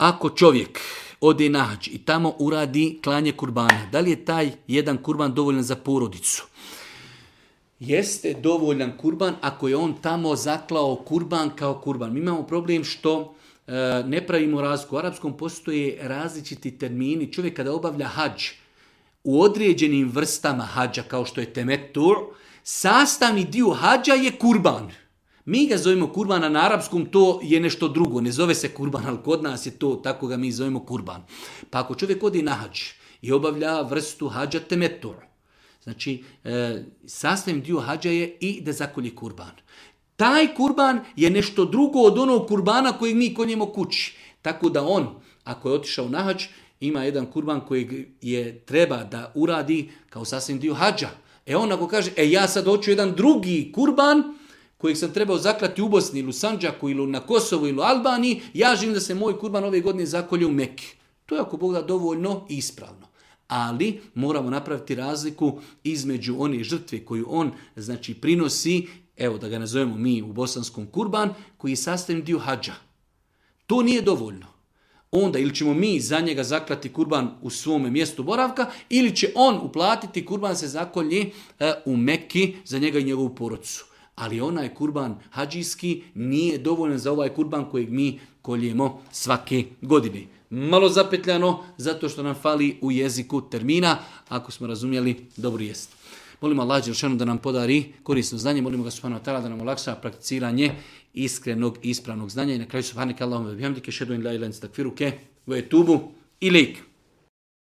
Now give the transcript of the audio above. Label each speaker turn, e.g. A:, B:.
A: ako čovjek ode na hadž i tamo uradi klanje kurbana, da li je taj jedan kurban dovoljan za porodicu? Jeste dovoljan kurban ako je on tamo zaklao kurban kao kurban. Mi imamo problem što ne pravimo razliku. U arapskom postoje različiti termini. Čovjek kada obavlja hadž u određenim vrstama hadža, kao što je temetur, sastavni dio hadža je kurban. Mi ga zovemo kurban, a na arapskom to je nešto drugo. Ne zove se kurban, ali kod nas je to, tako ga mi zovemo kurban. Pa ako čovjek odi na hadž i obavlja vrstu hadža temetur, znači sastavni dio hadža je i da zakolje kurban. Taj kurban je nešto drugo od onog kurbana kojeg mi konjemo kući. Tako da on, ako je otišao na hadž, ima jedan kurban kojeg je treba da uradi kao sasvim dio hadža. On ako kaže, ja sad hoću jedan drugi kurban kojeg sam trebao zaklati u Bosni ili u Sandžaku ili na Kosovu ili u Albaniji, ja želim da se moj kurban ove godine zakolje u Mekki. To je ako Bog da dovoljno i ispravno. Ali moramo napraviti razliku između one žrtve koju on prinosi, da ga nazovemo mi u bosanskom kurban, koji je sastavni dio hadža. To nije dovoljno. Onda ili ćemo mi za njega zaklati kurban u svome mjestu boravka, ili će on uplatiti kurban se zakolje u Mekki za njega i njegovu porodicu. Ali onaj kurban hadžijski nije dovoljan za ovaj kurban kojeg mi koljemo svake godine. Malo zapetljano, zato što nam fali u jeziku termina. Ako smo razumjeli, dobro jest. Molimo Allah dželešanu da nam podari korisno znanje, molimo ga subhanahu wa ta'ala da nam olakša prakticiranje iskrenog i ispravnog znanja. I na kraju subhaneke Allahumma wa bihamdike, ashhadu an la ilaha illa anta, astaghfiruke wa atubu ilejk.